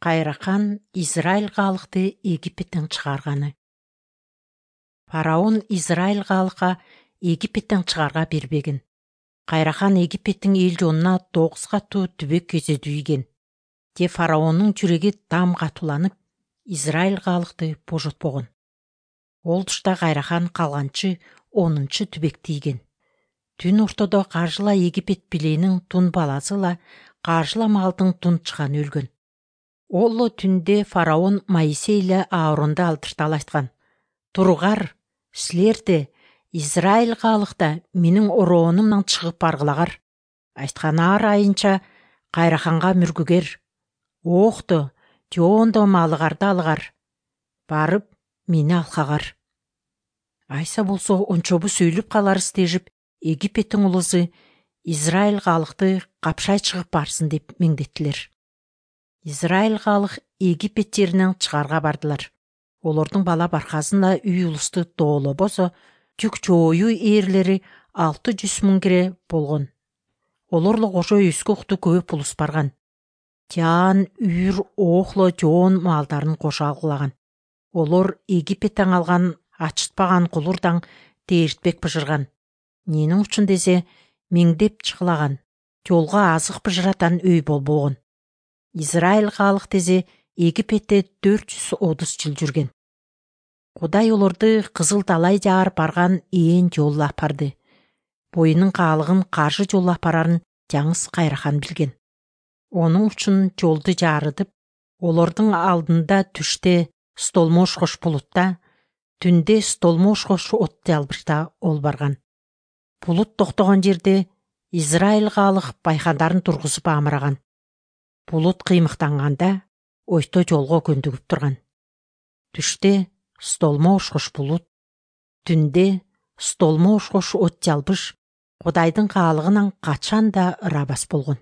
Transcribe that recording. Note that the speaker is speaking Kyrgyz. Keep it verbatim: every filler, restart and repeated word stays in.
Кайрахан Израиль калыкты Египеттен чыгарганы. Фараон Израиль калыкка Египеттен чыгарга бербеген. Кайрахан Египеттин эл жонуна тогуз катуу түбөк кезедүү ийген. Те фараондун жүрөги дам катууланып, Израиль калыкты божотпогон. Ол тушта Кайрахан калганчы онунчу түбөктү ийген. Түн ортодо кажыла Египет биленин тун баласыла кажыла малдын тун чыганы өлгөн. Ол түндө фараон Моисей эле Ааронду алдырталы айткан: "Тургар, силерде Израиль калыкта менин ороонумдан чыгып баргылагар." Айткан ар айынча Кайраханга мүргүгер: "Оокто, жоондо малыгарды алгар. Барып, мени алкагар. Айса болсо ончобу сүйлүп каларыз" дешип, Египеттин улусу Израиль калыкты капшай чыгып барсын деп меңдеттилер. Израиль калык Египет жеринен чыгарга бардылар. Олордун бала баркасында үй улусту доолобосо, жүк жооюу ээрлери алты жүз миң кире болгон. Олорло кошо үскүктү көп улус барган. Жаан, үйүр, оокло, жоон малдарын кошо алгылаган. Олор Египеттен алган ачытпаган кулурдан дээртпек быжырган. Ненин үчүн десе, миңдеп чыгылаган. Жолго азык быжыратан өй болбогон. Израиль калык десе Египетте төрт жүз отуз жыл жүргөн. Кудай олорду кызыл далай жаар барган ээн жолу апарды. Боюнун каалыгын каршы жолу апарарын жаңыс Кайрахан билген. Онун үчүн жолду жаарытып, олордун алдында түштө столмош-кош булутта, түндө столмош-кош от жалбырта ол барган. Булут токтогон жерде Израиль калык байкандарын тургузуп амыраган. Булут кыймыктанганда ойто жолго көндүгүп турган. Түштө столмош-кош булут, түндө столмош-кош от жалбыш Кудайдын каалыгынан качан да ырабас болгон.